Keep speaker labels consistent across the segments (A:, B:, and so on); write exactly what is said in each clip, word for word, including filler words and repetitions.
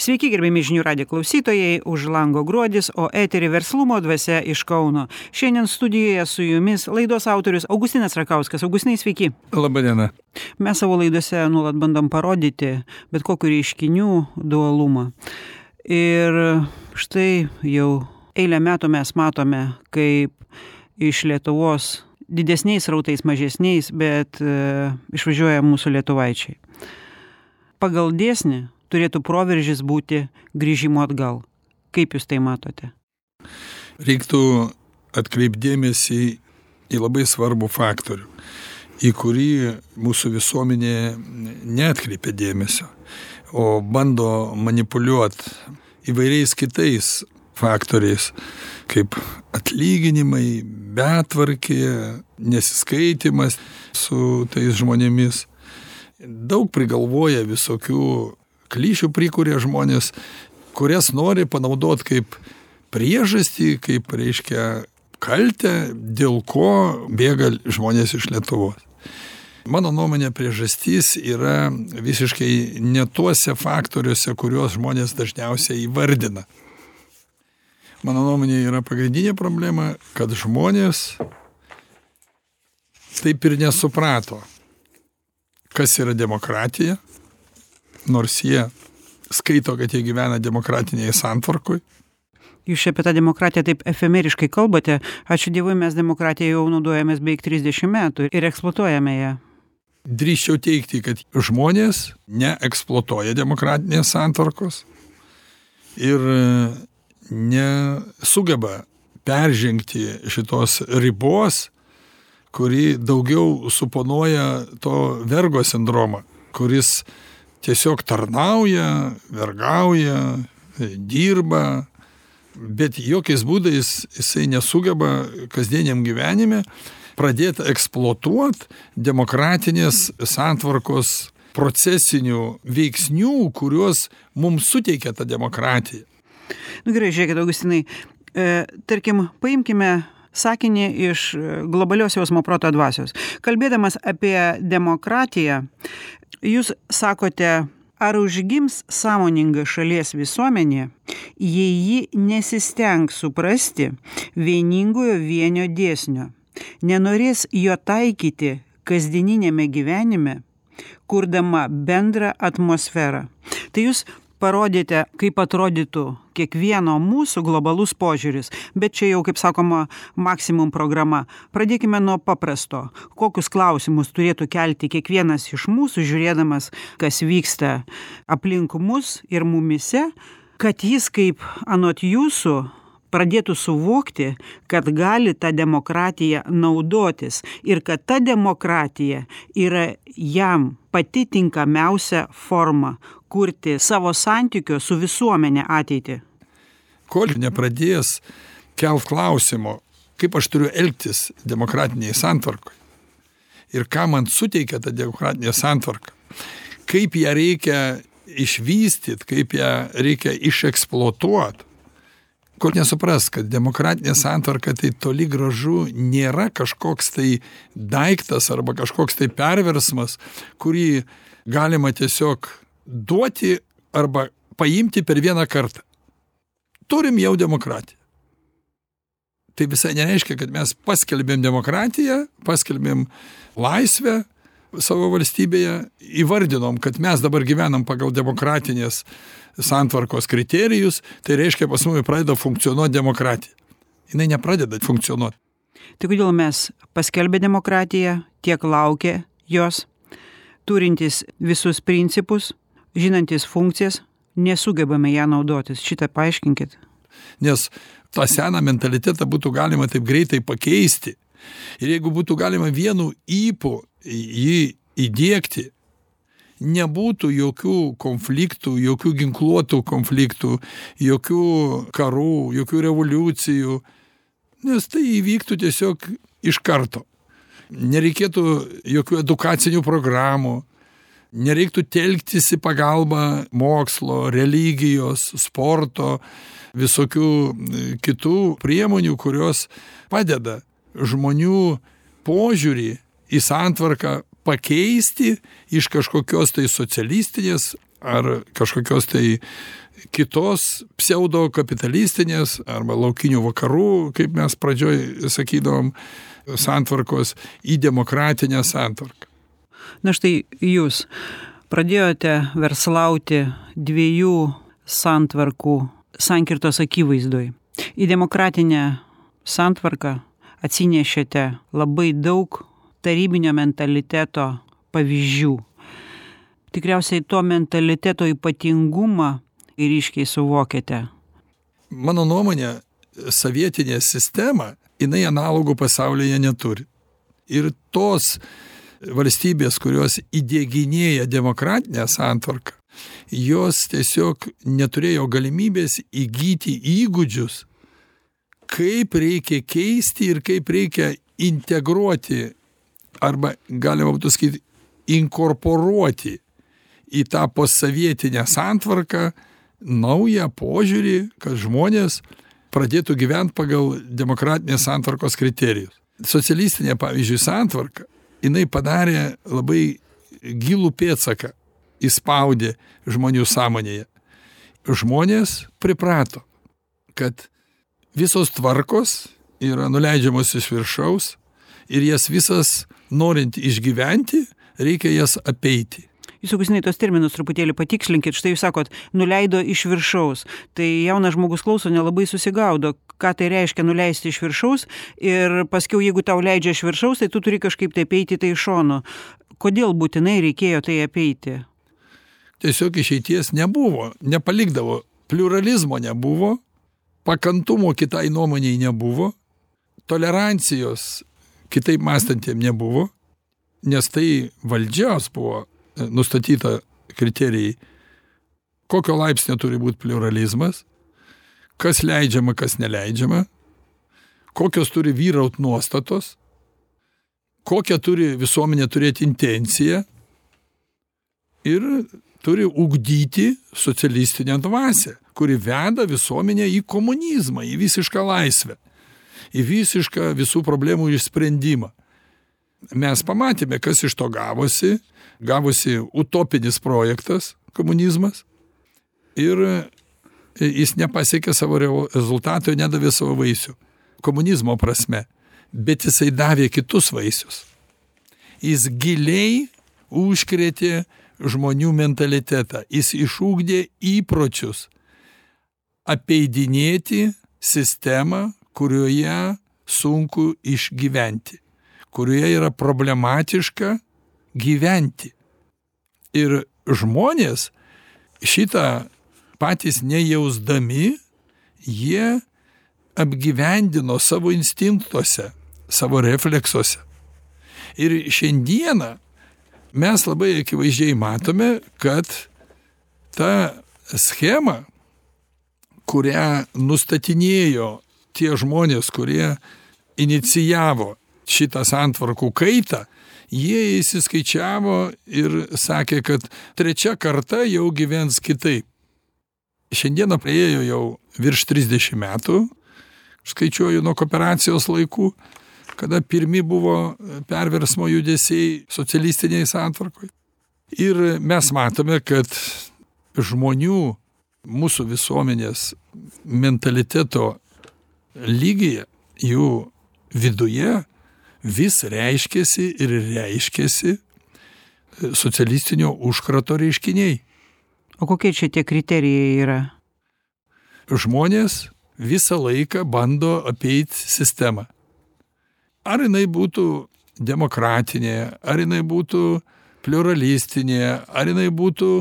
A: Sveiki, gerbėmi žinių radijo klausytojai, už lango gruodis, o eterį verslumo dvasia iš Kauno. Šiandien studijoje su jumis laidos autorius Augustinas Rakauskas. Augustinai, sveiki.
B: Labą dieną.
A: Mes savo laidose nuolat bandom parodyti bet kokių reiškinių dualumą. Ir štai jau eilę metų mes matome, kaip iš Lietuvos didesniais rautais, mažesniais, bet e, išvažiuoja mūsų lietuvaičiai. Pagal dėsnį turėtų proveržis būti grįžimo atgal. Kaip jūs tai matote?
B: Reiktų atkreipdėmėsi į labai svarbų faktorių, į kurį mūsų visuomenė neatkreipia dėmesio, o bando manipuliuoti įvairiais kitais faktoriais, kaip atlyginimai, betvarkė, nesiskaitimas su tais žmonėmis. Daug prigalvoja visokių klišių prikuria žmonės, kurias nori panaudoti kaip priežastį, kaip, reiškia, kaltę, dėl ko bėga žmonės iš Lietuvos. Mano nuomonė, priežastis yra visiškai ne tuose faktoriuose, kuriuos žmonės dažniausiai įvardina. Mano nuomonė yra pagrindinė problema, kad žmonės taip ir nesuprato, kas yra demokratija, nors jie skaito, kad jie gyvena demokratinėje santvarkoje.
A: Jūs apie tą demokratiją taip efemeriškai kalbate. Ačiū Dievui, mes demokratiją jau naudojamės beveik trisdešimt metų ir eksploatuojame ją.
B: Drįsčiau teigti, kad žmonės neeksploatuoja demokratinės santvarkos ir nesugeba peržengti šitos ribos, kuri daugiau suponuoja to vergo sindromą, kuris tiesiog tarnauja, vergauja, dirba, bet jokiais būdais jisai nesugeba kasdieniam gyvenime pradėti eksploatuoti demokratinės santvarkos procesinių veiksnių, kuriuos mums suteikia ta demokratija.
A: Nu gerai, žiūrėkit, Augustinai, e, tarkim, paimkime sakinį iš globalios jausmo proto dvasios. Kalbėdamas apie demokratiją, jūs sakote, ar užgims sąmoninga šalies visuomenė, jei ji nesistengs suprasti vieningojo vienio dėsnio, nenorės jo taikyti kasdieninėme gyvenime, kurdama bendrą atmosferą. Tai jūs parodėte, kaip atrodytų kiekvieno mūsų globalus požiūris, bet čia jau, kaip sakoma, maksimum programa. Pradėkime nuo paprasto. Kokius klausimus turėtų kelti kiekvienas iš mūsų, žiūrėdamas, kas vyksta aplink mus ir mumise, kad jis, kaip anot jūsų, pradėtų suvokti, kad gali tą demokratiją naudotis ir kad ta demokratija yra jam pati tinkamiausia forma kurti savo santykio su visuomenė ateitį.
B: Kol nepradės kelt klausimo, kaip aš turiu elgtis demokratinėje santvarkoje ir ką man suteikia ta demokratinė santvarka, kaip ją reikia išvystyti, kaip ją reikia išeksploatuoti, kol nesupras, kad demokratinė santvarka tai toli gražu nėra kažkoks tai daiktas arba kažkoks tai perversmas, kurį galima tiesiog duoti arba paimti per vieną kartą. Turim jau demokratiją. Tai visai nereiškia, kad mes paskelbėm demokratiją, paskelbėm laisvę savo valstybėje, įvardinom, kad mes dabar gyvenam pagal demokratinės santvarkos kriterijus, tai reiškia, pas mus pradeda funkcionuoti demokratija. Jinai nepradeda funkcionuoti.
A: Tai kodėl mes paskelbė demokratiją, tiek laukia jos, turintys visus principus, žinantis funkcijas, nesugebame ją naudotis. Šitą paaiškinkit.
B: Nes tą seną mentalitetą būtų galima taip greitai pakeisti. Ir jeigu būtų galima vienu ypu jį įdiegti, nebūtų jokių konfliktų, jokių ginkluotų konfliktų, jokių karų, jokių revoliucijų, nes tai įvyktų tiesiog iš karto. Nereikėtų jokių edukacinių programų, nereiktų telktis į pagalbą mokslo, religijos, sporto, visokių kitų priemonių, kurios padeda žmonių požiūrį į santvarką pakeisti iš kažkokios tai socialistinės ar kažkokios tai kitos pseudo kapitalistinės arba laukinių vakarų, kaip mes pradžioj sakydavom, santvarkos į demokratinę santvarką.
A: Na štai jūs pradėjote verslauti dviejų santvarkų sankirtos akivaizdoj. Į demokratinę santvarką atsinešėte labai daug tarybinio mentaliteto pavyzdžių. Tikriausiai to mentaliteto ypatingumą ir ryškiai suvokėte.
B: Mano nuomonė, sovietinė sistema, jinai analogų pasaulyje neturi. Ir tos valstybės, kurios įdieginėja demokratinę santvarką, jos tiesiog neturėjo galimybės įgyti įgūdžius, kaip reikia keisti ir kaip reikia integruoti, arba galima būtų sakyti, inkorporuoti į tą postsovietinę santvarką naują požiūrį, kad žmonės pradėtų gyventi pagal demokratinės santvarkos kriterijus. Socialistinė, pavyzdžiui, santvarka, jinai padarė labai gilų pėdsaką, įspaudė žmonių sąmonėje. Žmonės priprato, kad visos tvarkos yra nuleidžiamos iš viršaus ir jas visas, norint išgyventi, reikia jas apeiti.
A: Jūs, Augustinai, tos terminus truputėlį patikslinkit. Štai jūs sakot, nuleido iš viršaus. Tai jaunas žmogus klauso, nelabai susigaudo, ką tai reiškia nuleisti iš viršaus. Ir paskiau, jeigu tau leidžia iš viršaus, tai tu turi kažkaip tai apeiti tai iš šono. Kodėl būtinai reikėjo tai apeiti?
B: Tiesiog išeities nebuvo, nepalikdavo. Pliuralizmo nebuvo, pakantumo kitai nuomoniai nebuvo, tolerancijos kitaip mąstantiem nebuvo, nes tai valdžios buvo nustatyta kriterijai, kokio laipsnio turi būti pliuralizmas, kas leidžiama, kas neleidžiama, kokios turi vyraut nuostatos, kokią turi visuomenė turėti intenciją ir turi ugdyti socialistinę dvasią, kuri veda visuomenę į komunizmą, į visišką laisvę, į visišką visų problemų išsprendimą. Mes pamatėme, kas iš to gavosi, gavosi utopinis projektas, komunizmas, ir jis nepasiekė savo rezultato, nedavė savo vaisių, komunizmo prasme, bet jisai davė kitus vaisius. Jis giliai užkrėtė žmonių mentalitetą, jis išugdė įpročius apeidinėti sistemą, kurioje sunku išgyventi, kurioje yra problematiška gyventi. Ir žmonės šitą patys nejausdami, jie apgyvendino savo instinktuose, savo refleksuose. Ir šiandieną mes labai akivaizdžiai matome, kad ta schema, kurią nustatinėjo tie žmonės, kurie inicijavo šitą santvarkų kaitą, jie įsiskaičiavo ir sakė, kad trečia karta jau gyvens kitaip. Šiandieną praėjo jau virš trisdešimt metų, skaičiuoju nuo kooperacijos laikų, kada pirmi buvo perversmo judesiai socialistiniai santvarkoj. Ir mes matome, kad žmonių, mūsų visuomenės mentaliteto lygyje, jų viduje vis reiškėsi ir reiškėsi socialistinio užkrato reiškiniai.
A: O kokie čia tie kriterijai yra?
B: Žmonės visą laiką bando apeiti sistemą. Ar jinai būtų demokratinė, ar jinai būtų pliuralistinė, ar jinai būtų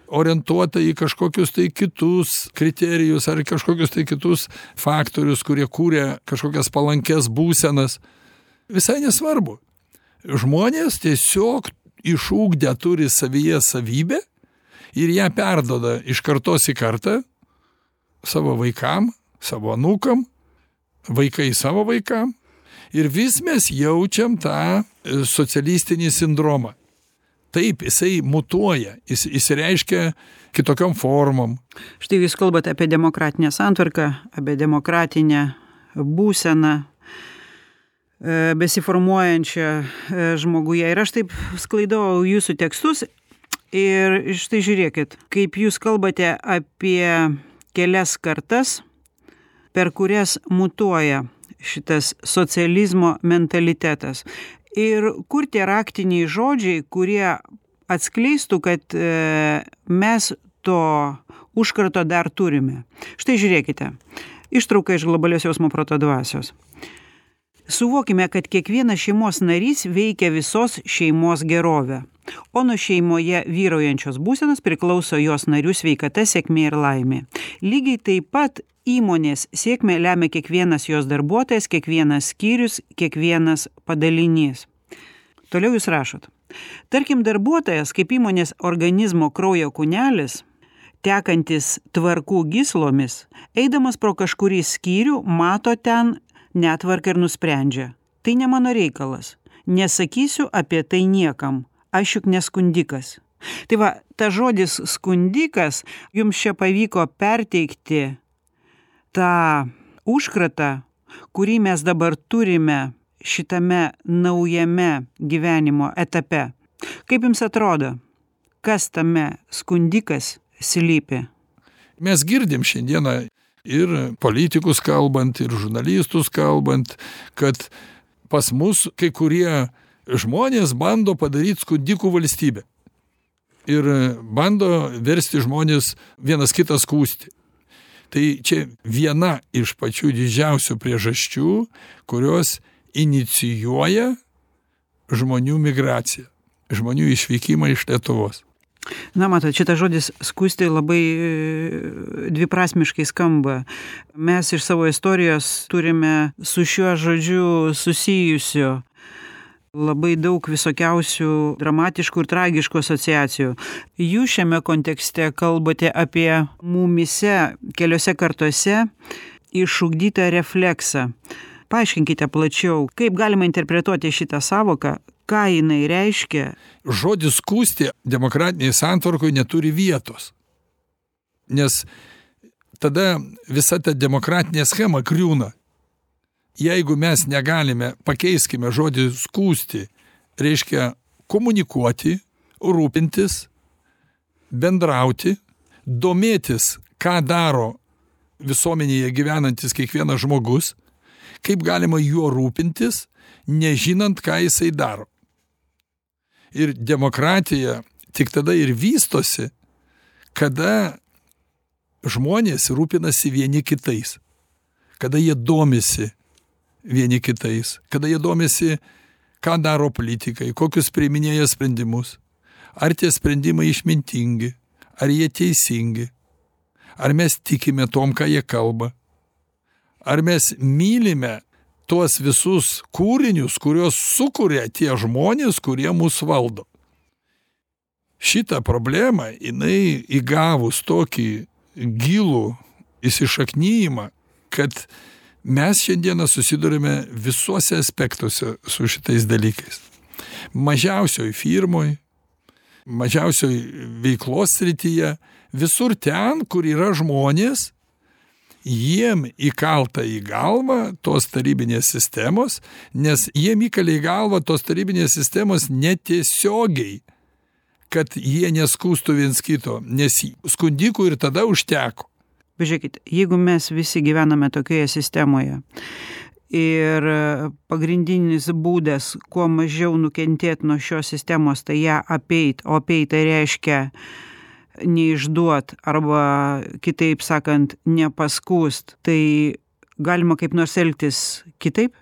B: orientuota į kažkokius tai kitus kriterijus, ar kažkokius tai kitus faktorius, kurie kūrė kažkokias palankes būsenas. Visai nesvarbu. Žmonės tiesiog išugdę turi savyje savybę ir ją perduoda iš kartos į kartą savo vaikam, savo anūkam, vaikai savo vaikam. Ir vis mes jaučiam tą socialistinį sindromą. Taip, jisai mutuoja, jis įsireiškia kitokiom formom.
A: Štai jūs kalbate apie demokratinę santvarką, apie demokratinę būseną besiformuojančią žmoguje. Ir aš taip sklaidau jūsų tekstus Ir štai žiūrėkit, kaip jūs kalbate apie kelias kartas, per kurias mutuoja šitas socializmo mentalitetas. Ir kur tie raktiniai žodžiai, kurie atskleistų, kad e, mes to užkrato dar turime. Štai žiūrėkite, ištrauka iš globalios jausmo proto dvasios. Suvokime, kad kiekvienas šeimos narys veikia visos šeimos gerovę, o nuo šeimoje vyraujančios būsenos priklauso jos narių sveikata, sėkmė ir laimė. Lygiai taip pat įmonės sėkmę lemia kiekvienas jos darbuotojas, kiekvienas skyrius, kiekvienas padalinys. Toliau jūs rašot. Tarkim, darbuotojas kaip įmonės organizmo kraujo kūnelis, tekantis tvarkų gyslomis, eidamas pro kažkurį skyrių, mato ten netvarką ir nusprendžia. Tai ne mano reikalas. Nesakysiu apie tai niekam. Aš juk neskundikas. Tai va, ta žodis skundikas jums čia pavyko perteikti tą užkratą, kurį mes dabar turime šitame naujame gyvenimo etape. Kaip jums atrodo, kas tame skundikas slypi?
B: Mes girdim šiandieną ir politikus kalbant, ir žurnalistus kalbant, kad pas mus kai kurie žmonės bando padaryti skundikų valstybę. Ir bando versti žmonės vienas kitą skųsti. Tai čia viena iš pačių didžiausių priežasčių, kurios inicijuoja žmonių migraciją, žmonių išvykimą iš Lietuvos.
A: Na, matot, šitas žodis skųsti labai dviprasmiškai skamba. Mes iš savo istorijos turime su šiuo žodžiu susijusių labai daug visokiausių dramatiškų ir tragiškų asociacijų. Jūs šiame kontekste kalbate apie mumyse keliose kartose išugdytą refleksą. Paaiškinkite plačiau, kaip galima interpretuoti šitą savoką, ką jinai reiškia.
B: Žodis skųsti demokratiniai santvarkoj neturi vietos. Nes tada visa ta demokratinė schema griūna. Jeigu mes negalime, pakeiskime žodį skųsti, reiškia komunikuoti, rūpintis, bendrauti, domėtis, ką daro visuomenėje gyvenantis kiekvienas žmogus, kaip galima juo rūpintis, nežinant, ką jisai daro. Ir demokratija tik tada ir vystosi, kada žmonės rūpinasi vieni kitais, kada jie domisi vieni kitais, kada jie domisi, ką daro politikai, kokius priiminėja sprendimus, ar tie sprendimai išmintingi, ar jie teisingi, ar mes tikime tom, ką jie kalba, ar mes mylime tuos visus kūrinius, kuriuos sukuria tie žmonės, kurie mus valdo. Šitą problemą, jinai įgavus tokį gilų įsišaknyjimą, kad mes šiandieną susidurime visuose aspektuose su šitais dalykais. Mažiausioj firmoj, mažiausioj veiklos srityje, visur ten, kur yra žmonės, jiem įkalta į galvą tos tarybinės sistemos, nes jiem įkalė į galvą tos tarybinės sistemos netiesiogiai, kad jie neskūstų viens kito, nes skundikų ir tada užteko.
A: Pažiūrėkit, jeigu mes visi gyvename tokioje sistemoje ir pagrindinis būdas, kuo mažiau nukentėti nuo šios sistemos, tai ją apeit, o apeit tai reiškia neišduot arba, kitaip sakant, nepaskūst, tai galima kaip nors elgtis kitaip?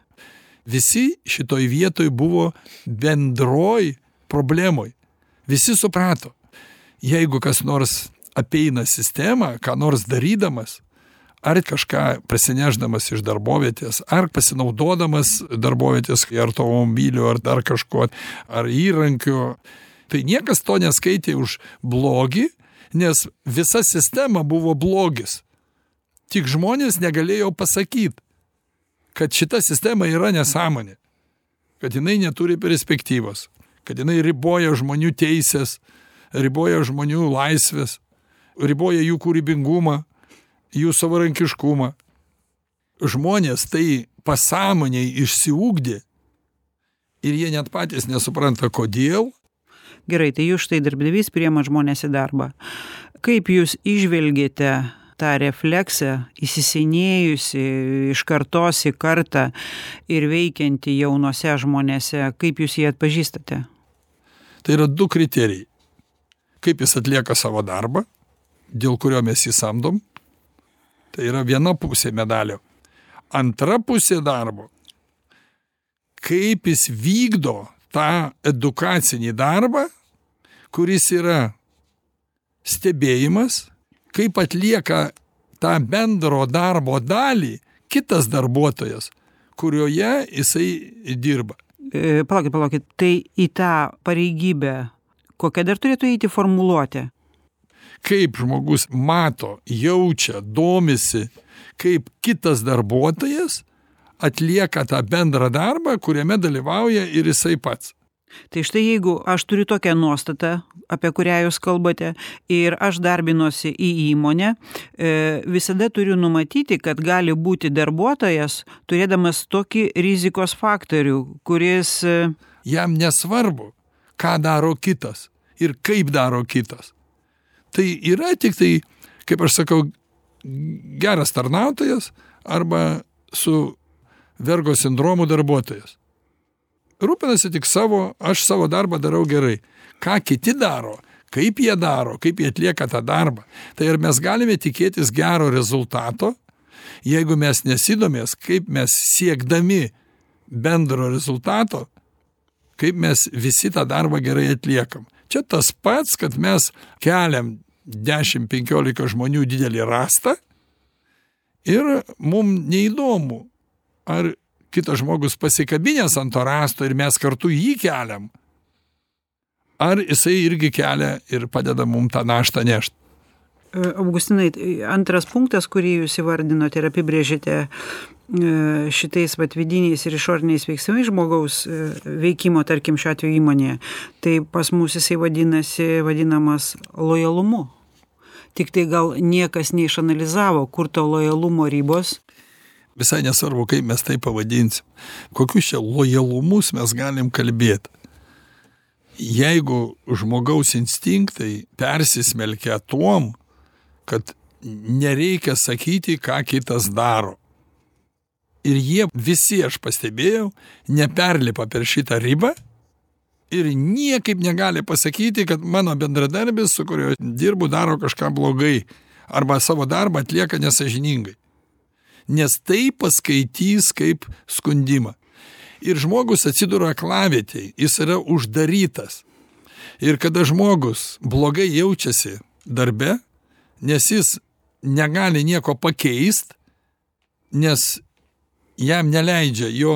B: Visi šitoj vietoj buvo bendroj problemoj. Visi suprato, jeigu kas nors apeina sistemą, ką nors darydamas, ar kažką prasineždamas iš darbovietės, ar pasinaudodamas darbovietės, ar automobiliu, ar dar kažko, ar įrankiu, tai niekas to neskaitė už blogį, nes visa sistema buvo blogis. Tik žmonės negalėjo pasakyti, kad šita sistema yra nesąmonė, kad jinai neturi perspektyvos, kad jinai riboja žmonių teisės, riboja žmonių laisvės, riboja jų kūrybingumą, jų savarankiškumą. Žmonės tai pasąmoniai išsiugdė ir jie net patys nesupranta, kodėl.
A: Gerai, tai jūs štai darbdavys priima žmonės į darbą. Kaip jūs įžvelgėte tą refleksą įsisenėjusi iš kartos į kartą ir veikianti jaunose žmonėse, kaip jūs jį atpažįstate?
B: Tai yra du kriterijai. Kaip jis atlieka savo darbą, dėl kurio mes jį samdom. Tai yra viena pusė medalio. Antra pusė darbo. Kaip jis vykdo tą edukacinį darbą, kuris yra stebėjimas, kaip atlieka tą bendro darbo dalį kitas darbuotojas, kurioje jisai dirba.
A: E, palaukit, palaukit, tai į tą pareigybę, kokia dar turėtų eiti formuluotė?
B: Kaip žmogus mato, jaučia, domisi, kaip kitas darbuotojas atlieka tą bendrą darbą, kuriame dalyvauja ir jisai pats.
A: Tai štai jeigu aš turiu tokią nuostatą, apie kurią jūs kalbate, ir aš darbinuosi į įmonę, visada turiu numatyti, kad gali būti darbuotojas, turėdamas tokį rizikos faktorių, kuris...
B: Jam nesvarbu, ką daro kitas ir kaip daro kitas. Tai yra tik tai, kaip aš sakau, geras tarnautojas arba su vergo sindromu darbuotojas. Rūpinasi tik savo, aš savo darbą darau gerai. Ką kiti daro, kaip jie daro, kaip jie atlieka tą darbą. Tai ar mes galime tikėtis gero rezultato, jeigu mes nesidomės, kaip mes siekdami bendro rezultato, kaip mes visi tą darbą gerai atliekam. Čia tas pats, kad mes keliam dešimt penkiolika žmonių didelį rastą ir mums neįdomu, ar kitas žmogus pasikabinęs ant to rasto ir mes kartu jį keliam, ar jisai irgi kelia ir padeda mums tą naštą nešti.
A: Augustinai, antras punktas, kurį jūs įvardinote ir apibrėžėte šitais vat vidiniais ir išoriniais veiksmais žmogaus veikimo, tarkim, šiuo atveju įmonėje, tai pas mus jisai vadinasi, vadinamas lojalumu. Tik tai gal niekas neišanalizavo, kur to lojalumo ribos.
B: Visai nesvarbu, kaip mes tai pavadinsim. Kokius čia lojalumus mes galim kalbėti. Jeigu žmogaus instinktai persismelkia tuom, kad nereikia sakyti, ką kitas daro. Ir jie visi, aš pastebėjau, neperlipa per šitą ribą ir niekaip negali pasakyti, kad mano bendradarbis, su kuriuo dirbu, daro kažką blogai arba savo darbą atlieka nesąžiningai. Nes tai paskaitys kaip skundimą. Ir žmogus atsiduria aklavietėj, jis yra uždarytas. Ir kada žmogus blogai jaučiasi darbe, nes jis negali nieko pakeist, nes jam neleidžia jo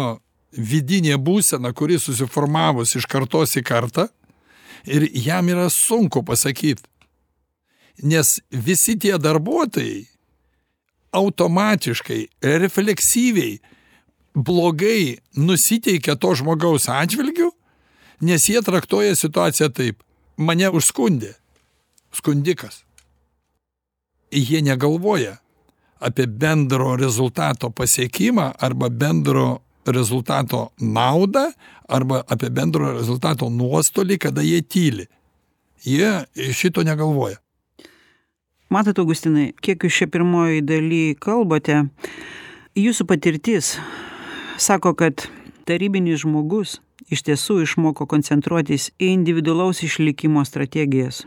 B: vidinė būsena, kuri susiformavus iš kartos į kartą, ir jam yra sunku pasakyti. Nes visi tie darbuotojai automatiškai, refleksyviai, blogai nusiteikia to žmogaus atžvilgiu, nes jie traktuoja situaciją taip. Mane užskundė. Skundikas. Jie negalvoja apie bendro rezultato pasiekimą arba bendro rezultato naudą arba apie bendro rezultato nuostolį, kada jie tyli. Jie šito negalvoja.
A: Matot, Augustinai, kiek jūs čia pirmoji daly kalbate, jūsų patirtis sako, kad tarybinis žmogus iš tiesų išmoko koncentruotis į individualaus išlikimo strategijas.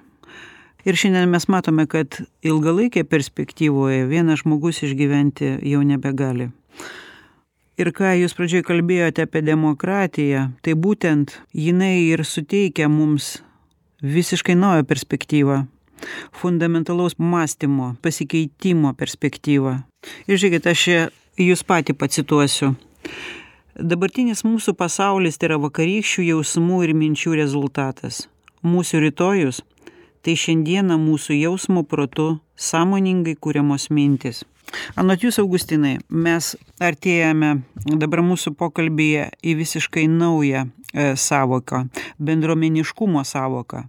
A: Ir šiandien mes matome, kad ilgalaikėje perspektyvoje vienas žmogus išgyventi jau nebegali. Ir ką jūs pradžioje kalbėjote apie demokratiją, tai būtent jinai ir suteikia mums visiškai naują perspektyvą. Fundamentalaus mąstymo, pasikeitimo perspektyvą. Ir žiūrėkit, aš jūs patį pacituosiu. Dabartinis mūsų pasaulis tai yra vakarykščių jausmų ir minčių rezultatas. Mūsų rytojus tai šiandieną mūsų jausmo protu sąmoningai kuriamos mintis. Anot jūs, Augustinai, mes artėjame dabar mūsų pokalbyje į visiškai naują e, savoką, bendruomeniškumo savoką.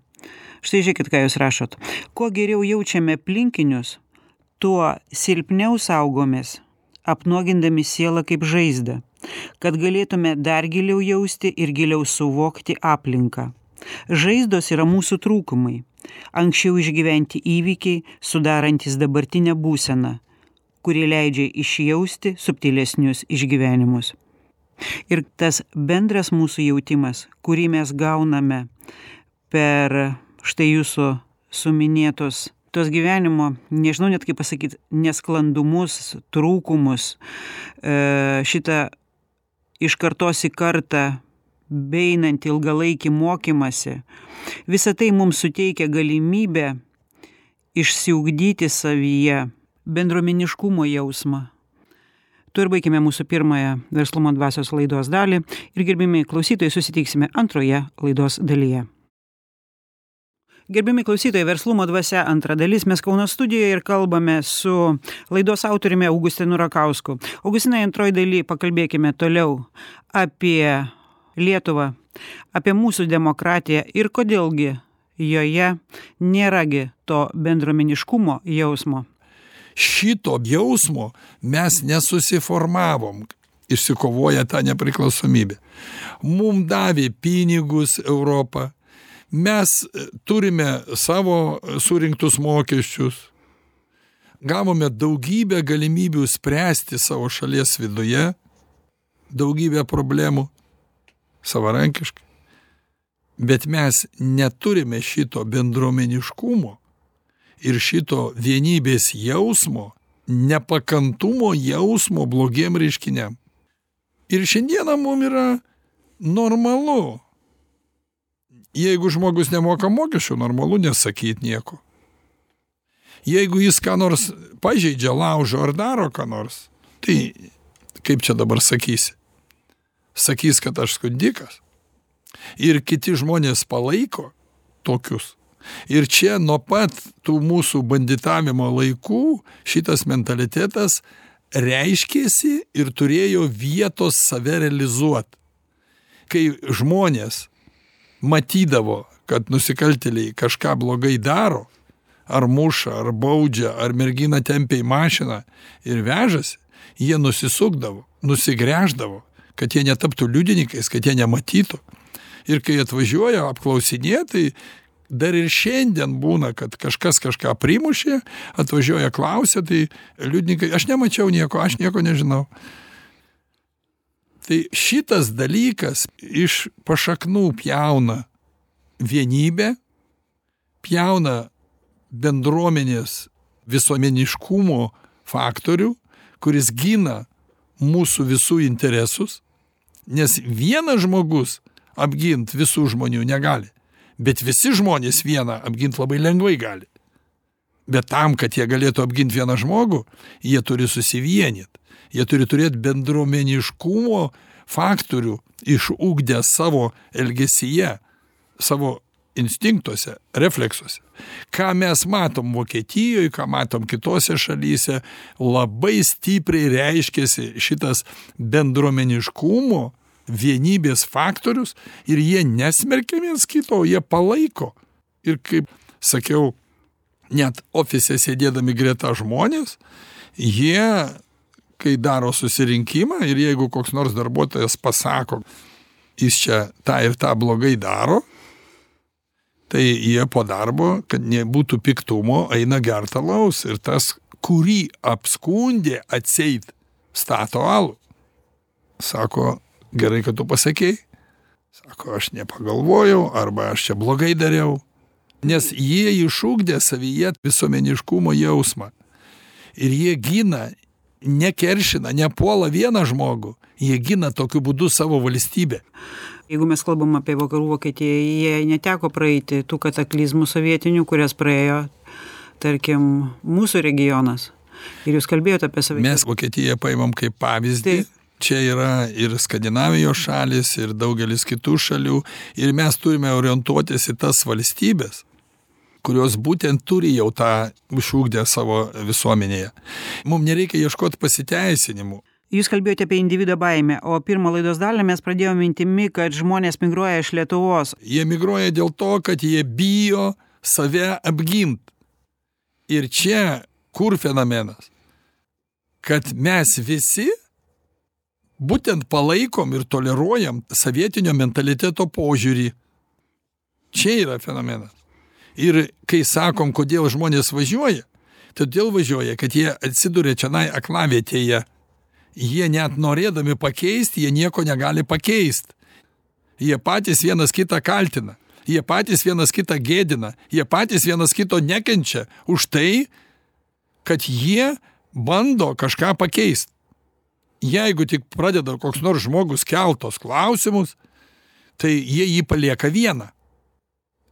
A: Štai žiūrėkit, ką jūs rašot. Kuo geriau jaučiame aplinkinius, tuo silpniau saugomės, apnuogindami sielą kaip žaizdą, kad galėtume dar giliau jausti ir giliau suvokti aplinką. Žaizdos yra mūsų trūkumai, anksčiau išgyventi įvykiai, sudarantis dabartinę būseną, kuri leidžia išjausti subtilesnius išgyvenimus. Ir tas bendras mūsų jautimas, kurį mes gauname per štai jūsų suminėtos tos gyvenimo, nežinau net kaip pasakyti, nesklandumus, trūkumus, šitą iš kartos į kartą beeinantį ilgalaikį mokymasi, visa tai mums suteikia galimybę išsiugdyti savyje bendruomeniškumo jausmą. Tuo ir baigime mūsų pirmąją Verslumo dvasios laidos dalį ir gerbimi klausytojai susitiksime antroje laidos dalyje. Gerbiami klausytojai, Verslumo dvasia antra dalis, mes Kauno studijoje ir kalbame su laidos autoriumi Augustinu Rakausku. Augustinai, antroji daly pakalbėkime toliau apie Lietuvą, apie mūsų demokratiją ir kodėlgi joje nėragi to bendruomeniškumo jausmo.
B: Šito jausmo mes nesusiformavom, išsikovoję tą nepriklausomybę. Mums davė pinigus Europą, mes turime savo surinktus mokesčius, gavome daugybę galimybių spręsti savo šalies viduje, daugybę problemų savarankiškai, bet mes neturime šito bendruomeniškumo ir šito vienybės jausmo, nepakantumo jausmo blogiem reiškiniam. Ir šiandieną mums yra normalu. Jeigu žmogus nemoka mokesčių, normalu nesakyti nieko. Jeigu jis ką nors pažeidžia, laužo ar daro ką nors, tai kaip čia dabar sakysi? Sakys, kad aš skundikas. Ir kiti žmonės palaiko tokius. Ir čia nuo pat tų mūsų banditavimo laikų šitas mentalitetas reiškėsi ir turėjo vietos save realizuoti. Kai žmonės matydavo, kad nusikaltėliai kažką blogai daro, ar muša, ar baudžia, ar merginą tempia į mašiną ir vežasi, jie nusisukdavo, nusigręždavo, kad jie netaptų liudininkais, kad jie nematytų. Ir kai atvažiuoja apklausinėti, tai dar ir šiandien būna, kad kažkas kažką primušė, atvažiuoja klausia, tai liudininkai, aš nemačiau nieko, aš nieko nežinau. Tai šitas dalykas iš pašaknų pjauna vienybę, pjauna bendruomenės visuomeniškumo faktorių, kuris gina mūsų visų interesus, nes vienas žmogus apgint visų žmonių negali, bet visi žmonės vieną apgint labai lengvai gali. Bet tam, kad jie galėtų apgint vieną žmogų, jie turi susivienyti. Jie turi turėti bendruomeniškumo faktorių išugdę savo elgesyje, savo instinktuose, refleksuose. Ką mes matom Vokietijoje, ką matom kitose šalyse, labai stipriai reiškiasi šitas bendruomeniškumo, vienybės faktorius ir jie nesmerkia viens kito, jie palaiko. Ir kaip sakiau, net ofise sėdėdami greta žmonės, jie kai daro susirinkimą ir jeigu koks nors darbuotojas pasako, jis čia tą ir tą blogai daro, tai jie po darbo, kad nebūtų piktumo, eina gert alaus ir tas, kurį apskundė atseit, stato alų. Sako, gerai, kad tu pasakei. Sako, aš nepagalvojau, arba aš čia blogai dariau. Nes jie išugdė savyje visuomeniškumo jausmą. Ir jie gina, nekeršina, nepuola vieną žmogų, jie gina tokiu būdu savo valstybę.
A: Jeigu mes kalbam apie vakarų Vokietiją, jie neteko praeiti tų kataklizmų sovietinių, kurias praėjo, tarkim, mūsų regionas. Ir jūs kalbėjote apie save.
B: Mes Vokietiją paimam kaip pavyzdį. Taip. Čia yra ir Skandinavijos šalis, ir daugelis kitų šalių. Ir mes turime orientuotis į tas valstybės, kurios būtent turi jau tą išugdę savo visuomenėje. Mums nereikia ieškoti pasiteisinimų.
A: Jūs kalbėjote apie individo baimę, o pirmą laidos dalį mes pradėjome mintimi, kad žmonės migruoja iš Lietuvos.
B: Jie migruoja dėl to, kad jie bijo save apgint. Ir čia kur fenomenas? Kad mes visi būtent palaikom ir toleruojam sovietinio mentaliteto požiūrį. Čia yra fenomenas. Ir kai sakom, kodėl žmonės važiuoja, todėl važiuoja, kad jie atsiduria čianai aklavietėje. Jie net norėdami pakeisti, jie nieko negali pakeisti. Jie patys vienas kitą kaltina. Jie patys vienas kitą gėdina. Jie patys vienas kito nekenčia už tai, kad jie bando kažką pakeisti. Jeigu tik pradeda koks nors žmogus keltos klausimus, tai jie jį palieka vieną.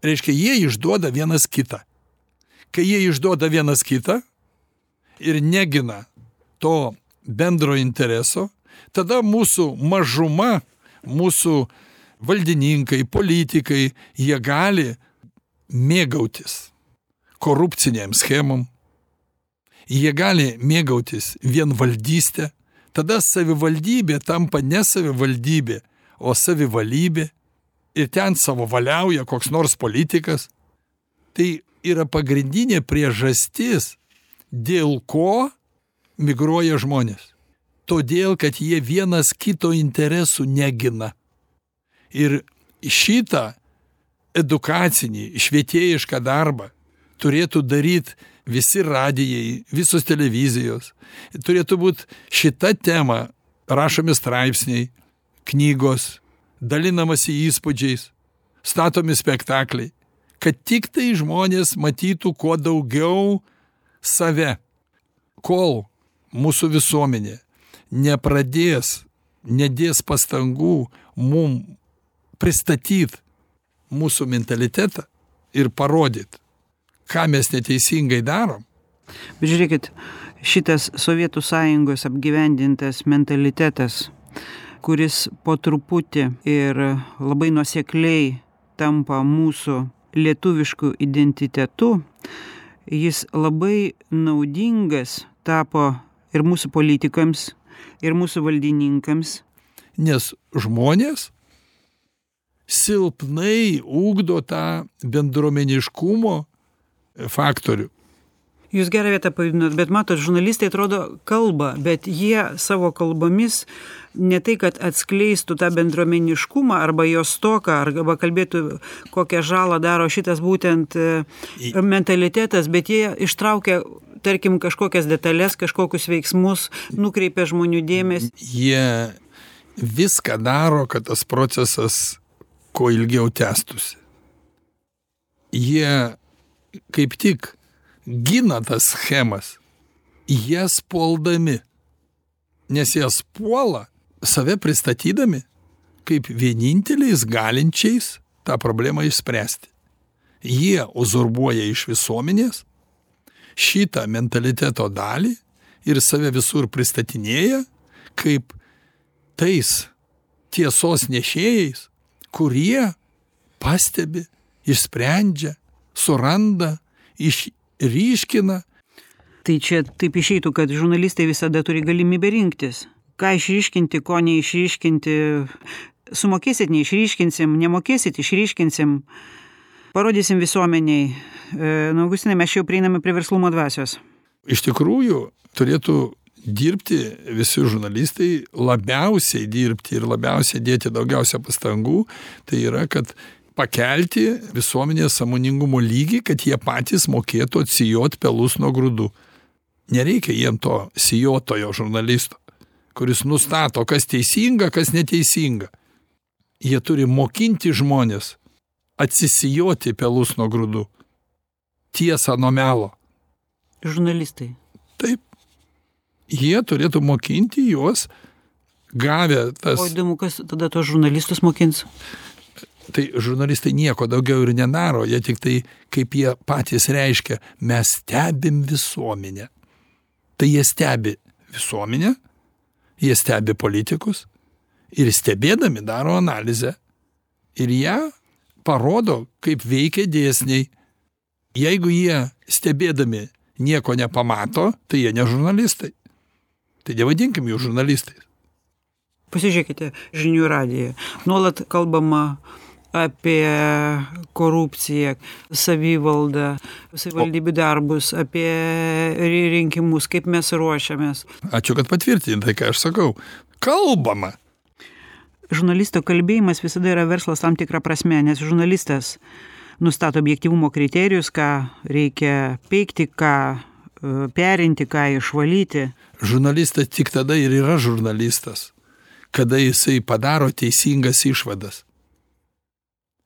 B: Reiškia, jie išduoda vienas kitą. Kai jie išduoda vienas kitą ir negina to bendro intereso, tada mūsų mažuma, mūsų valdininkai, politikai, jie gali mėgautis korupciniam schemom, jie gali mėgautis vienvaldystę, tada savivaldybė tampa ne savivaldybė, o savivalybė ir ten savo valiauja koks nors politikas. Tai yra pagrindinė priežastis, dėl ko migruoja žmonės. Todėl, kad jie vienas kito interesų negina. Ir šitą edukacinį, švietėjišką darbą turėtų daryti visi radijai, visos televizijos. Turėtų būti šita tema rašomi straipsniai, knygos, dalinamasi įspūdžiais, statomi spektakliai, kad tik tai žmonės matytų kuo daugiau save. Kol mūsų visuomenė nepradės, nedės pastangų mum pristatyti mūsų mentalitetą ir parodyti, ką mes neteisingai darom.
A: Bet žiūrėkit, šitas Sovietų Sąjungos apgyvendintas mentalitetas, kuris po truputį ir labai nuosekliai tampa mūsų lietuvišku identitetu, jis labai naudingas tapo ir mūsų politikams, ir mūsų valdininkams.
B: Nes žmonės silpnai ugdo tą bendruomeniškumo faktorių.
A: Jūs gerą vietą pajudinot, bet matot, žurnalistai atrodo kalba, bet jie savo kalbomis ne tai, kad atskleistų tą bendruomeniškumą arba jos stoką, arba kalbėtų, kokią žalą daro šitas būtent mentalitetas, bet jie ištraukia, tarkim, kažkokias detalės, kažkokius veiksmus, nukreipia žmonių dėmesį.
B: Jie viską daro, kad tas procesas kuo ilgiau tęstųsi. Jie kaip tik gina tas schemas, jas puoldami, nes jas puola save pristatydami kaip vieninteliais galinčiais tą problemą išspręsti. Jie uzurbuoja iš visuomenės šitą mentaliteto dalį ir save visur pristatinėja kaip tais tiesos nešėjais, kurie pastebi, išsprendžia, suranda, išryškina.
A: Tai čia taip išeitų, kad žurnalistai visada turi galimybę rinktis. Ką išryškinti, ko neišryškinti. Sumokėsit, neišryškinsim, nemokėsit, išryškinsim. Parodysim visuomeniai. E, nu, Augustinai, mes jau prieiname prie verslumo dvasios.
B: Iš tikrųjų, turėtų dirbti visi žurnalistai, labiausiai dirbti ir labiausiai dėti daugiausia pastangų, tai yra, kad pakelti visuomenės sąmoningumo lygį, kad jie patys mokėtų atsijoti pelus nuo grūdų. Nereikia jiem to sijotojo žurnalisto, kuris nustato, kas teisinga, kas neteisinga. Jie turi mokinti žmonės atsisijoti pelus nuo grūdų. Tiesą nuo melo.
A: Žurnalistai.
B: Taip. Jie turėtų mokinti juos, gavę tas...
A: O įdomu, kas tada tos žurnalistus mokins?
B: Tai žurnalistai nieko daugiau ir nedaro, jie tik tai, kaip jie patys reiškia, mes stebim visuomenę. Tai jie stebi visuomenę, jie stebi politikus ir stebėdami daro analizę ir ją parodo, kaip veikia dėsniai. Jeigu jie stebėdami nieko nepamato, tai jie ne žurnalistai. Tai nevadinkim jų žurnalistais.
A: Pasižiūrėkite žinių radiją. Nuolat kalbama apie korupciją, savivaldą, savivaldybių darbus, apie rinkimus, kaip mes ruošiamės.
B: Ačiū, kad patvirtinai tai, ką aš sakau. Kalbama.
A: Žurnalisto kalbėjimas visada yra verslas tam tikrą prasme, nes žurnalistas nustato objektyvumo kriterijus, ką reikia peikti, ką perinti, ką išvalyti.
B: Žurnalistas tik tada ir yra žurnalistas, kada jisai padaro teisingas išvadas,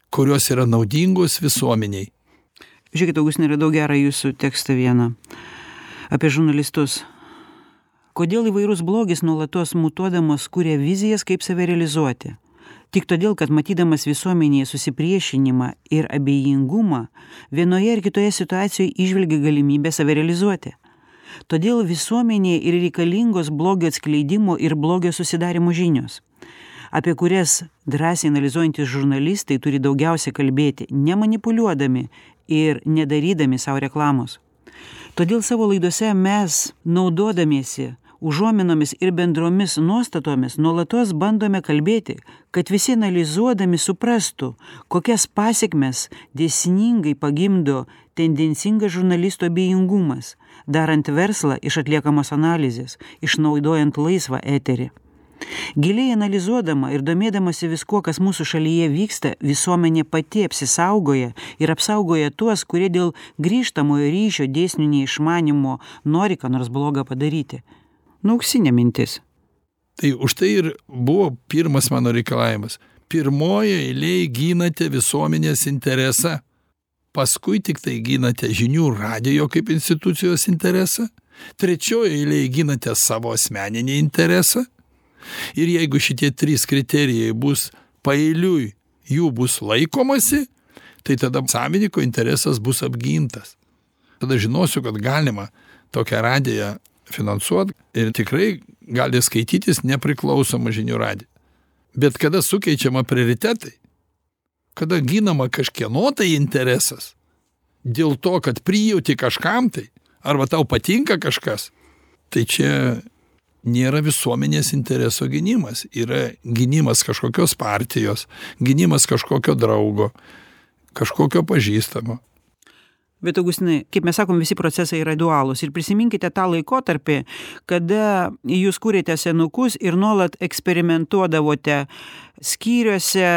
B: kurios yra naudingos visuomeniai.
A: Žiūrėkit, Augustinai, radau gerą jūsų tekstą vieną apie žurnalistus. Kodėl įvairus blogis nuolatos mutuodamas kuria vizijas, kaip save realizuoti? Tik todėl, kad matydamas visuomenėje susipriešinimą ir abejingumą, vienoje ar kitoje situacijoje įžvelgia galimybę save realizuoti. Todėl visuomenėje ir reikalingos blogio atskleidimo ir blogio susidarimo žinios, apie kurias drąsiai analizuojantys žurnalistai turi daugiausia kalbėti, nemanipuliuodami ir nedarydami savo reklamos. Todėl savo laidose mes, naudodamiesi užuominomis ir bendromis nuostatomis, nuolatos bandome kalbėti, kad visi analizuodami suprastų, kokias pasekmes dėsningai pagimdo tendencingas žurnalisto abejingumas, darant verslą iš atliekamos analizės, išnaudojant laisvą eterį. Giliai analizuodama ir domėdamasi viskuo, kas mūsų šalyje vyksta, visuomenė pati apsisaugoja ir apsaugoja tuos, kurie dėl grįžtamojo ryšio dėsnių neišmanimo nori ką nors blogą padaryti. Nu, auksinė mintis.
B: Tai už tai ir buvo pirmas mano reikalavimas. Pirmoje eilėje ginate visuomenės interesą, paskui tik tai ginate žinių radijo kaip institucijos interesą, trečioje eilėje ginate savo asmeninį interesą. Ir jeigu šitie trys kriterijai bus paeiliui, jų bus laikomasi, tai tada savininko interesas bus apgintas. Tada žinosiu, kad galima tokią radiją finansuoti ir tikrai gali skaitytis nepriklausomą žinių radiją. Bet kada sukeičiama prioritetai, kada ginama kažkieno tai interesas, dėl to, kad prijauti kažkam tai, arba tau patinka kažkas, tai čia nėra visuomenės intereso gynimas, yra gynimas kažkokios partijos, gynimas kažkokio draugo, kažkokio pažįstamo.
A: Bet, Augustinai, kaip mes sakom, visi procesai yra dualūs. Ir prisiminkite tą laikotarpį, kada jūs kūrėte senukus ir nuolat eksperimentuodavote skyriuose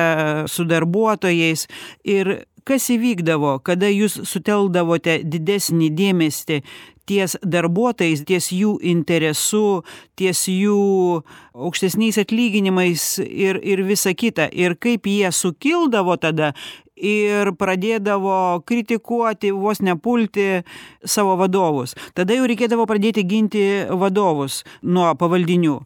A: su darbuotojais. Ir kas įvykdavo, kada jūs suteldavote didesnį dėmesį ties darbuotojais, ties jų interesu, ties jų aukštesniais atlyginimais ir, ir visa kita. Ir kaip jie sukildavo tada ir pradėdavo kritikuoti, vos nepulti savo vadovus. Tada jau reikėdavo pradėti ginti vadovus nuo pavaldinių.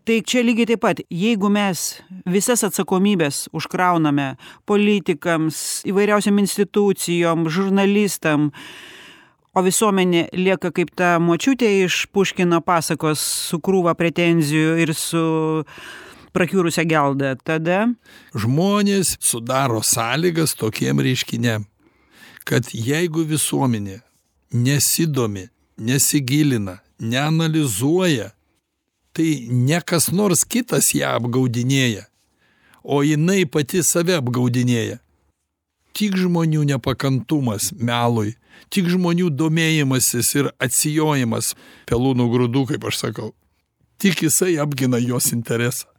A: Tai čia lygiai taip pat, jeigu mes visas atsakomybės užkrauname politikams, įvairiausiam institucijom, žurnalistam, o visuomenė lieka kaip ta močiutė iš Puškino pasakos su krūva pretenzijų ir su prakiūrusią geldą, tada
B: žmonės sudaro sąlygas tokiem reiškiniam, kad jeigu visuomenė nesidomi, nesigilina, neanalizuoja, tai ne kas nors kitas ją apgaudinėja, o jinai pati save apgaudinėja. Tik žmonių nepakantumas melui, tik žmonių domėjimasis ir atsijojimas pelūnų grūdų, kaip aš sakau, tik jisai apgina jos interesą.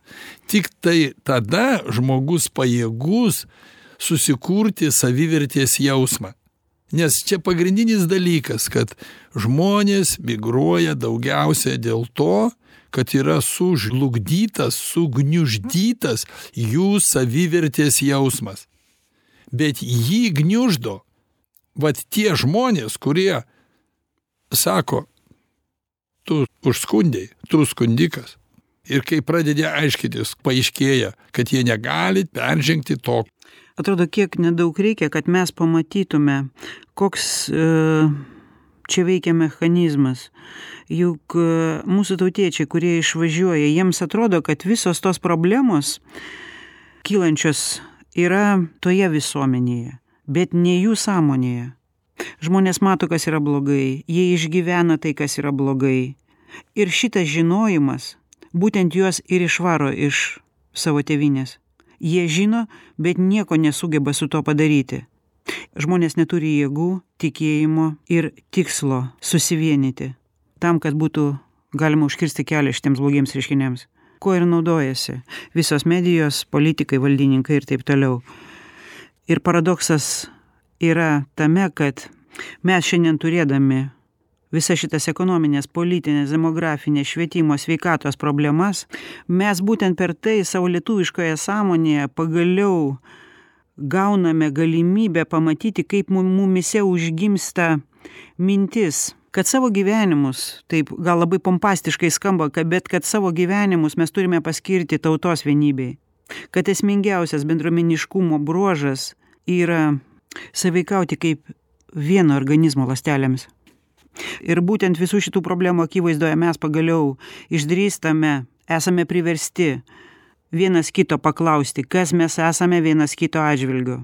B: Tik tai tada žmogus pajėgus susikurti savivertės jausmą. Nes čia pagrindinis dalykas, kad žmonės migruoja daugiausia dėl to, kad yra sužlugdytas, sugniuždytas jų savivertės jausmas. Bet jį gniuždo vat tie žmonės, kurie sako, tu užskundėjai, tu skundikas. Ir kai pradedi aiškytis, paaiškėja, kad jie negali peržengti to.
A: Atrodo, kiek nedaug reikia, kad mes pamatytume, koks e, čia veikia mechanizmas. Juk e, mūsų tautiečiai, kurie išvažiuoja, jiems atrodo, kad visos tos problemos kylančios yra toje visuomenėje, bet ne jų sąmonėje. Žmonės mato, kas yra blogai, jie išgyvena tai, kas yra blogai. Ir šitas žinojimas būtent juos ir išvaro iš savo tėvynės. Jie žino, bet nieko nesugeba su to padaryti. Žmonės neturi jėgų, tikėjimo ir tikslo susivienyti tam, kad būtų galima užkirsti kelią šitiems blogiems reiškiniams. Kuo ir naudojasi visos medijos, politikai, valdininkai ir taip toliau. Ir paradoksas yra tame, kad mes šiandien turėdami visas šitas ekonominės, politinės, demografinės, švietimo, sveikatos problemas, mes būtent per tai savo lietuviškoje sąmonėje pagaliau gauname galimybę pamatyti, kaip mumise užgimsta mintis, kad savo gyvenimus, taip gal labai pompastiškai skamba, bet kad savo gyvenimus mes turime paskirti tautos vienybei, kad esmingiausias bendruomeniškumo bruožas yra sąveikauti kaip vieno organizmo ląstelėmis. Ir būtent visų šitų problemų akivaizdoje mes pagaliau išdrįstame, esame priversti vienas kito paklausti, kas mes esame vienas kito atžvilgiu.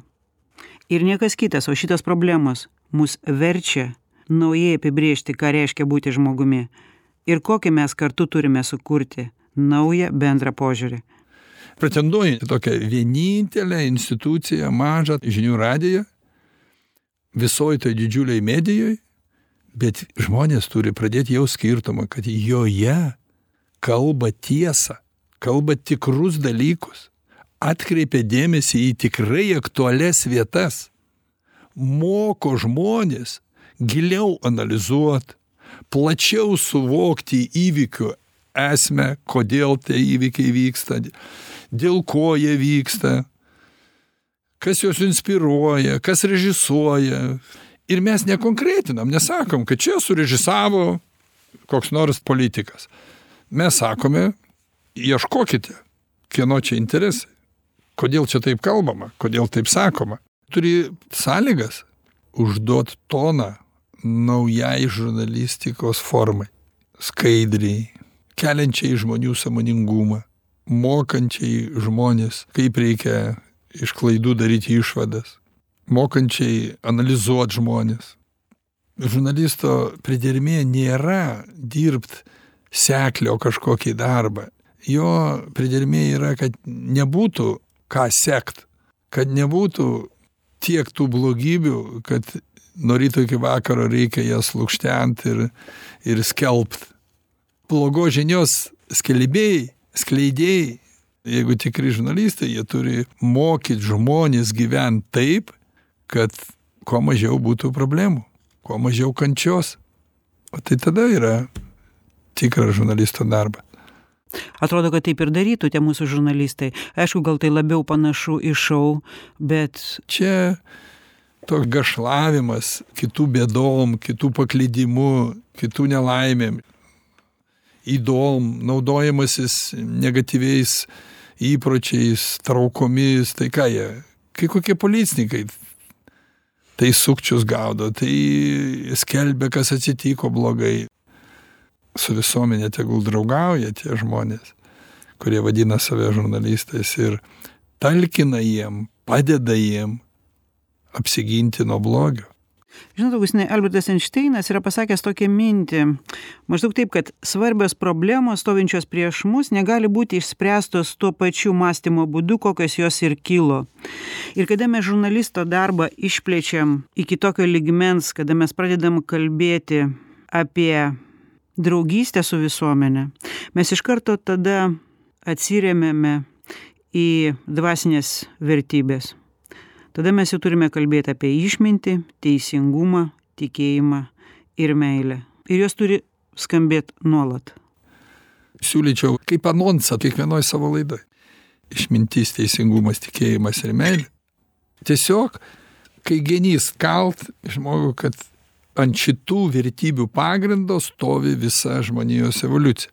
A: Ir niekas kitas, o šitos problemos mus verčia naujai apibrėžti, ką reiškia būti žmogumi ir kokį mes kartu turime sukurti naują bendrą požiūrį.
B: Pretenduoju į tokią vienintelę instituciją, mažą žinių radiją, visoje toj didžiuliai medijoj, bet žmonės turi pradėti jau skirtumą, kad joje kalba tiesą, kalba tikrus dalykus, atkreipia dėmesį į tikrai aktualias vietas, moko žmonės giliau analizuoti, plačiau suvokti įvykių esmę, kodėl tie įvykiai vyksta, dėl ko jie vyksta, kas juos inspiruoja, kas režisuoja. Ir mes nekonkretinam, nesakom, kad čia surežisavo koks nors politikas. Mes sakome, ieškokite, kieno čia interesai, kodėl čia taip kalbama, kodėl taip sakoma. Turi sąlygas užduot toną naujai žurnalistikos formai, skaidriai, keliančiai žmonių sąmoningumą, mokančiai žmonės, kaip reikia iš klaidų daryti išvadas, mokančiai analizuoti žmonės. Žurnalisto pridermė nėra dirbt seklio kažkokį darbą. Jo pridermė yra, kad nebūtų ką sekt, kad nebūtų tiek tų blogybių, kad nuo ryto iki vakaro reikia jas lukštent ir, ir skelbt. Blogos žinios skelbėjai, skleidėjai, jeigu tikri žurnalistai, jie turi mokyti žmonės gyventi taip, kad kuo mažiau būtų problemų, kuo mažiau kančios. O tai tada yra tikras žurnalisto darbas.
A: Atrodo, kad taip ir darytų tie mūsų žurnalistai. Aišku, gal tai labiau panašu į šou, bet...
B: Čia toks gašlavimas kitų bėdom, kitų paklydimu, kitų nelaimėm, įdom, naudojamasis negatyviais įpročiais, traukomis, tai ką jie, kai kokie policininkai, tai sukčius gaudo, tai skelbia, kas atsitiko blogai. Su visuomenė tegul draugauja tie žmonės, kurie vadina save žurnalistais ir talkina jiem, padeda jiem apsiginti nuo blogio.
A: Žinot, Augustinai, Albertas Einšteinas yra pasakęs tokią mintį, maždaug taip, kad svarbios problemos stovinčios prieš mus negali būti išspręstos tuo pačiu mąstymo būdu, kokios jos ir kilo. Ir kada mes žurnalisto darbą išplečiam iki tokio lygmens, kada mes pradedam kalbėti apie draugystę su visuomenė, mes iš karto tada atsiremiame į dvasinės vertybės. Tada mes jau turime kalbėti apie išmintį, teisingumą, tikėjimą ir meilę. Ir jos turi skambėti nuolat.
B: Siūlyčiau kaip anonsą kiekvienoj savo laidoj. Išmintis, teisingumas, tikėjimas ir meilė. Tiesiog, kai genys kalt žmogų, kad ant šitų vertybių pagrindo stovi visa žmonijos evoliucija.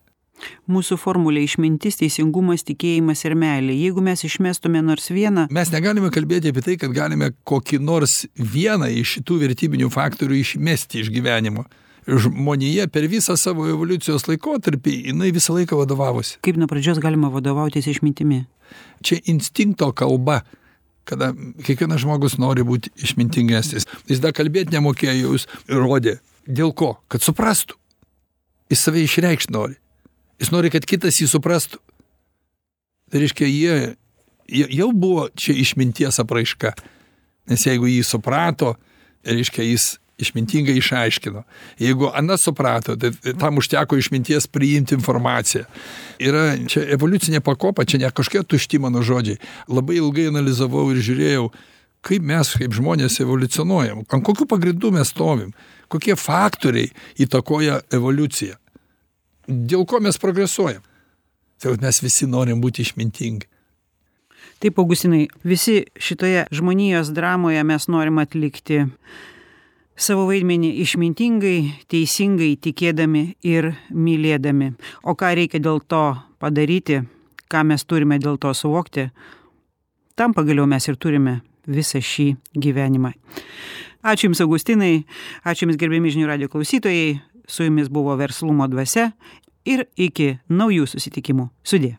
A: Mūsų formulė išmintis, teisingumas, tikėjimas ir meilė. Jeigu mes išmestume nors vieną...
B: Mes negalime kalbėti apie tai, kad galime kokį nors vieną iš šitų vertybinių faktorių išmesti iš gyvenimo. Žmonija per visą savo evoliucijos laikotarpį, jinai visą laiką vadovavosi.
A: Kaip nuo pradžios galima vadovautis išmintimi?
B: Čia instinkto kalba, kada kiekvienas žmogus nori būti išmintingesnis. Jis dar kalbėti nemokėjo, jis rodė. Dėl ko? Kad suprastų. Jis save išreikšti nori. Jis nori, kad kitas jį suprastų. Tai reiškia, jie, jie jau buvo čia išminties apraiška. Nes jeigu jį suprato, reiškia, jis išmintingai išaiškino. Jeigu anas suprato, tai tam užteko išminties priimti informaciją. Yra čia evoliucinė pakopa, čia ne kažkokia tušti mano žodžiai. Labai ilgai analizavau ir žiūrėjau, kaip mes kaip žmonės evoliucionuojam, ant kokių pagrindų mes stovim, kokie faktoriai įtakoja evoliuciją, dėl ko mes progresuojam. Tai mes visi norim būti išmintingi.
A: Taip, Augustinai, visi šitoje žmonijos dramoje mes norim atlikti savo vaidmenį išmintingai, teisingai, tikėdami ir mylėdami. O ką reikia dėl to padaryti, ką mes turime dėl to suvokti, tam pagaliau mes ir turime visą šį gyvenimą. Ačiū Jums, Augustinai, ačiū Jums, gerbiami žinių radijo klausytojai, su Jumis buvo Verslumo dvasia ir iki naujų susitikimų. Sudie.